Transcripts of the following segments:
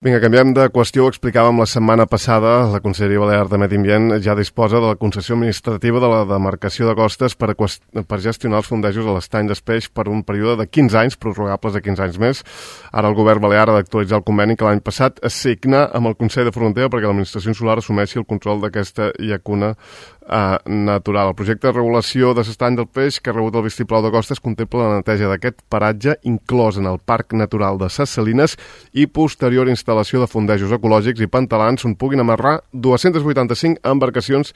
Vinga, canviem de qüestió. Ho explicàvem la setmana passada. La Conselleria Balear de Medi Ambient ja disposa de la concessió administrativa de la demarcació de costes per gestionar els fondejos a l'estany d'Espeix per un període de 15 anys, prorrogables de 15 anys més. Ara el govern balear ha d'actualitzar el conveni que l'any passat es signa amb el Consell de Frontera perquè l'administració insular assumeixi el control d'aquesta llacuna natural. El projecte de regulació de l'estany del Peix que ha rebut el vistiplau de costes contempla la neteja d'aquest paratge inclòs en el Parc Natural de Ses Salines i posterior instal·lació de fondejos ecològics i pantalans on puguin amarrar 285 embarcacions.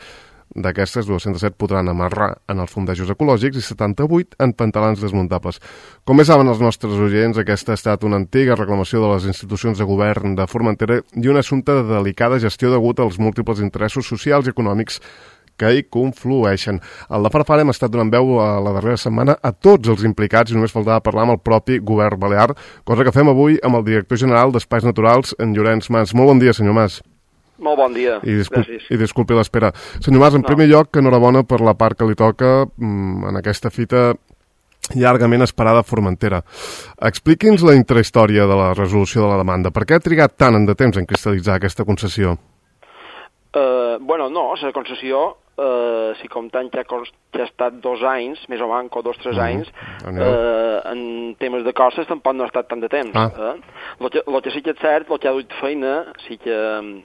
D'aquestes, 207 podran amarrar en els fondejos ecològics i 78 en pantalans desmuntables. Com bé saben els nostres oients, aquesta ha estat una antiga reclamació de les institucions de govern de Formentera i un assumpte de delicada gestió degut als múltiples interessos socials i econòmics que hi conflueixen. Al de Farfara hem estat donant veu a la darrera setmana a tots els implicats i només faltava parlar amb el propi govern balear, cosa que fem avui amb el director general d'Espais Naturals, en Llorenç Mas. Molt bon dia, senyor Mas. Molt bon dia, gràcies. I disculpi l'espera. Senyor Mas, en primer lloc, enhorabona per la part que li toca en aquesta fita llargament esperada a Formentera. Expliqui'ns la intrahistòria de la resolució de la demanda. Per què ha trigat tant de temps en cristal·litzar aquesta concessió? La concessió, si comptant que ha estat 2 anys, més o manco 2-3 anys, en temes de costes tampoc no ha estat tant de temps. El que sí que és cert, el que ha dut feina, sí que,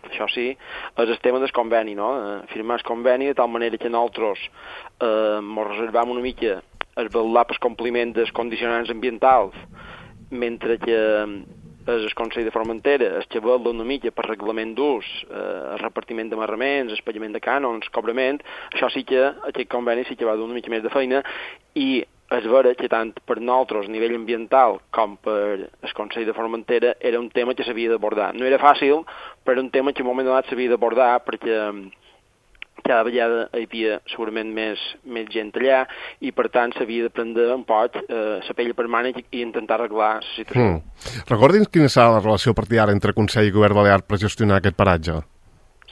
això sí, és el tema del conveni, no? Firmar el conveni de tal manera que nosaltres ens reservam una mica el vetllar pel compliment dels condicionants ambientals, mentre que el Consell de Formentera es que vetla una mica per reglament d'ús, el repartiment d'amarraments, el pagament de cànons, cobrament. Això sí que, aquest conveni sí que va dur una mica més de feina i és vera que tant per nosaltres a nivell ambiental com per el Consell de Formentera era un tema que s'havia d'abordar. No era fàcil, però era un tema que en un moment donat s'havia d'abordar perquè cada vegada hi havia segurament més gent allà i per tant s'havia de prendre un poc la pell per mànec i intentar arreglar la situació. Recordi'ns quina serà la relació a partir d'ara entre Consell i Govern Balear per gestionar aquest paratge?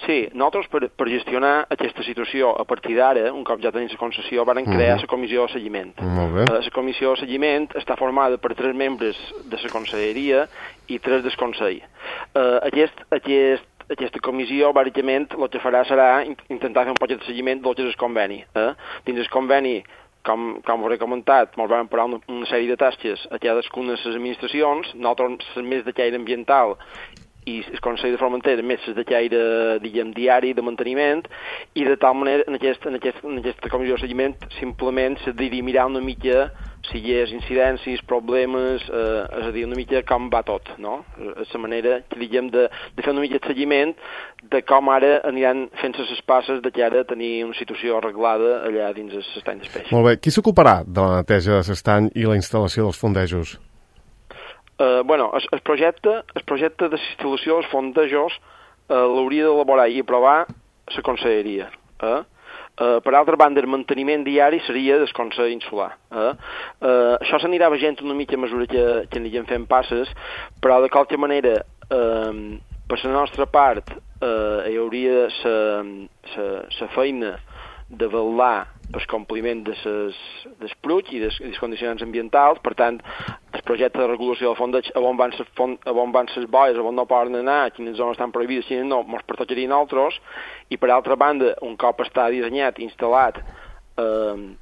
Sí, nosaltres per gestionar aquesta situació a partir d'ara, un cop ja tenim la concessió, van crear la comissió de seguiment. Molt bé. La comissió de seguiment està formada per 3 membres de la conselleria i 3 del Consell. Aquesta comissió, bàsicament, el que farà serà intentar fer un poc de seguiment del que és el conveni. Dins el conveni, com us he comentat, ens vam parar una sèrie de tasques a cadascuna de les administracions, nosaltres més de caire ambiental i el Consell de Formentera més de caire, diguem, diari, de manteniment, i de tal manera, en aquesta comissió de seguiment, simplement s'ha de mirar una mica si hi ha incidències, problemes, és a dir, una mica com va tot, no? És la manera, diguem, de fer una mica de seguiment de com ara aniran fent-se les passes de cara a tenir una situació arreglada allà dins l'estany d'Espeix. Molt bé. Qui s'ocuparà de la neteja de l'estany i la instal·lació dels fondejos? El projecte de l'instal·lació dels fondejos l'hauria d'elaborar i aprovar la conselleria. Per altra banda, el manteniment diari seria del Consell Insular. Això s'anirà veient una mica a mesura que anirem fent passes, però de qualque manera, per la nostra part, hi hauria la feina de vetllar pel compliment dels PRUC i dels condicionants ambientals. Per tant, el projecte de regulació del fondeig, on van les boies, on no poden anar, quines zones estan prohibides, quines no, ens pertocaria a nosaltres, i per altra banda, un cop està dissenyat, instal·lat,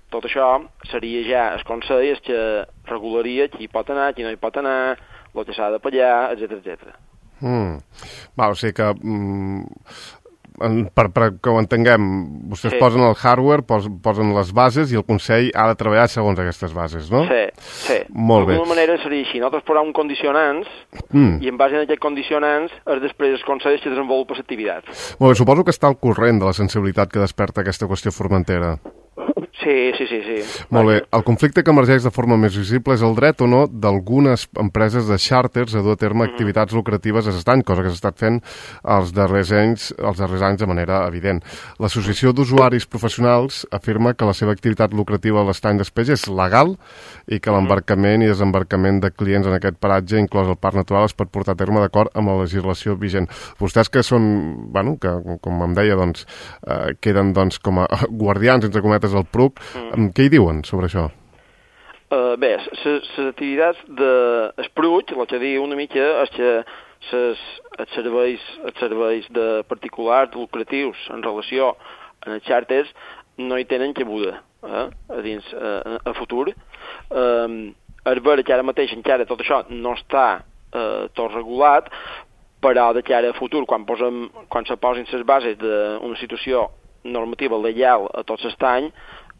tot això seria ja el Consell que regularia qui pot anar, qui no hi pot anar, el que s'ha de pagar, etc. O sigui que per que ho entenguem, vostès posen el hardware, posen les bases i el Consell ha de treballar segons aquestes bases, no? Sí. Molt bé. D'alguna manera seria així. Nosaltres posem condicionants i en base a aquests condicionants és després el Consell que desenvolupa l'activitat. Molt bé, suposo que està al corrent de la sensibilitat que desperta aquesta qüestió formentera. Sí. Molt bé. El conflicte que emergeix de forma més visible és el dret o no d'algunes empreses de xàrters a dur a terme activitats lucratives a l'estany, cosa que s'ha estat fent els darrers anys de manera evident. L'Associació d'Usuaris Professionals afirma que la seva activitat lucrativa a l'estany d'Espeix és legal i que l'embarcament i desembarcament de clients en aquest paratge, inclòs el Parc Natural, es pot portar a terme d'acord amb la legislació vigent. Vostès que són, que com em deia, queden com a guardians, entre cometes, del PRUC, què hi diuen sobre això? Bé, les activitats d'Espruig, el que diu una mica és que els serveis de particulars, de lucratius, en relació amb els xàrters, no hi tenen cabuda a futur. És vera que ara mateix encara tot això no està tot regulat, però de cara a futur, quan se posin les bases d'una situació normativa legal a tot l'estany,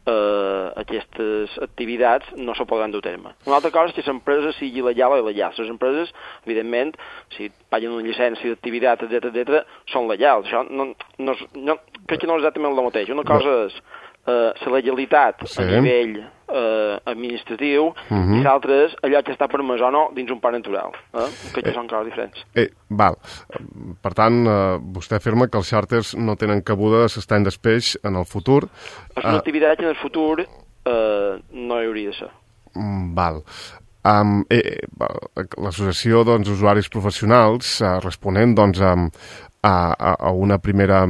aquestes activitats no se podran dur a terme. Una altra cosa és que l'empresa sigui legal o il·legal. Les empreses, evidentment, si paguen una llicència d'activitat, etc., són legals. Això crec que no és exactament el mateix. Una cosa és la legalitat a nivell administratiu i l'altre és allò que està permès o no dins un parc natural. Crec que són coses diferents. Val. Per tant, vostè afirma que els xàrters no tenen cabuda a l'estany d'espeix en el futur. És una activitat que en el futur no hi hauria de ser. Val. L'associació d'usuaris professionals, responent a una primera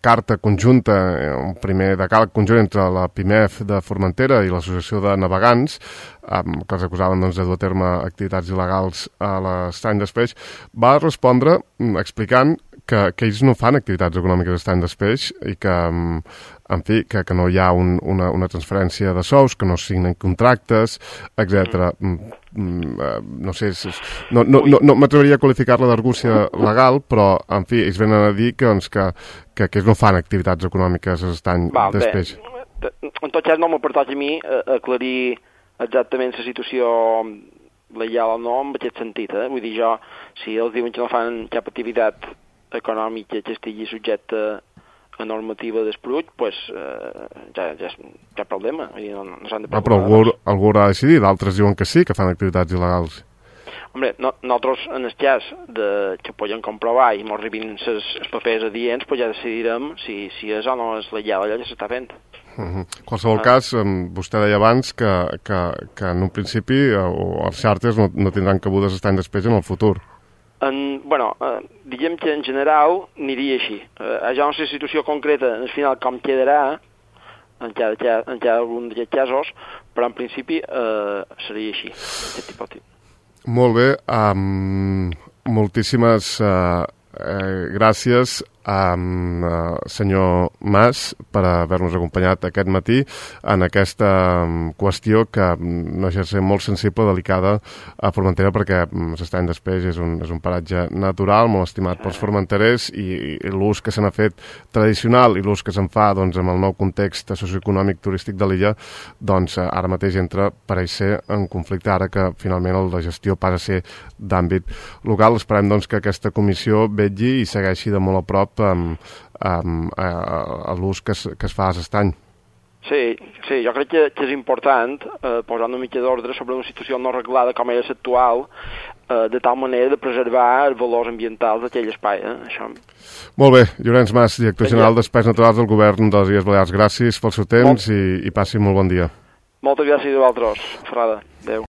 carta conjunta, un primer decàleg conjunt entre la PIMEF de Formentera i l'Associació de Navegants, que els acusaven de dur a terme activitats il·legals a l'estany d'espeix, va respondre explicant que ells no fan activitats econòmiques a l'estany d'espeix i que, en fi, que no hi ha una transferència de sous, que no signen contractes, etc. No sé, no m'atreviria a qualificar-la d'argúcia legal, però, en fi, ells venen a dir que ells no fan activitats econòmiques a l'estany d'espeix. En tot cas, no m'ha pertocat a mi aclarir exactament la situació legal o no en aquest sentit. Vull dir, si ells diuen que no fan cap activitat econòmica que estigui subjecte a normativa d'Esprull, doncs ja és cap problema. No s'han de preocupar. Però algú haurà de decidir, d'altres diuen que sí, que fan activitats il·legals. Hombre, nosaltres, en el cas que podem comprovar i ens arribin els papers adients, ja decidirem si és o no és legal allò que s'està fent. En qualsevol cas, vostè deia abans que en un principi els xàrters no tindran cabudes a l'estany d'espeix en el futur. Diguem que en general aniria així. Ja no sé la situació concreta, al final com quedarà en cada un d'aquests casos, però en principi seria així. Molt bé, moltíssimes gràcies senyor Mas per haver-nos acompanyat aquest matí en aquesta qüestió que no deixa de ser molt sensible, delicada a Formentera, perquè l'estany d'espeix és un paratge natural molt estimat pels formenterers i l'ús que se n'ha fet tradicional i l'ús que se'n fa amb el nou context socioeconòmic turístic de l'illa, ara mateix entra, pareix ser, en conflicte, ara que finalment la gestió passa a ser d'àmbit local. Esperem que aquesta comissió vetlli i segueixi de molt a prop a l'ús que es fa a l'estany. Sí, jo crec que és important posar una mica d'ordre sobre una situació no arreglada com és actual, de tal manera de preservar els valors ambientals d'aquell espai. Això. Molt bé, Llorenç Mas, director general d'Espais Naturals del Govern de les Illes Balears. Gràcies pel seu temps i passi molt bon dia. Moltes gràcies a vosaltres, Ferrada.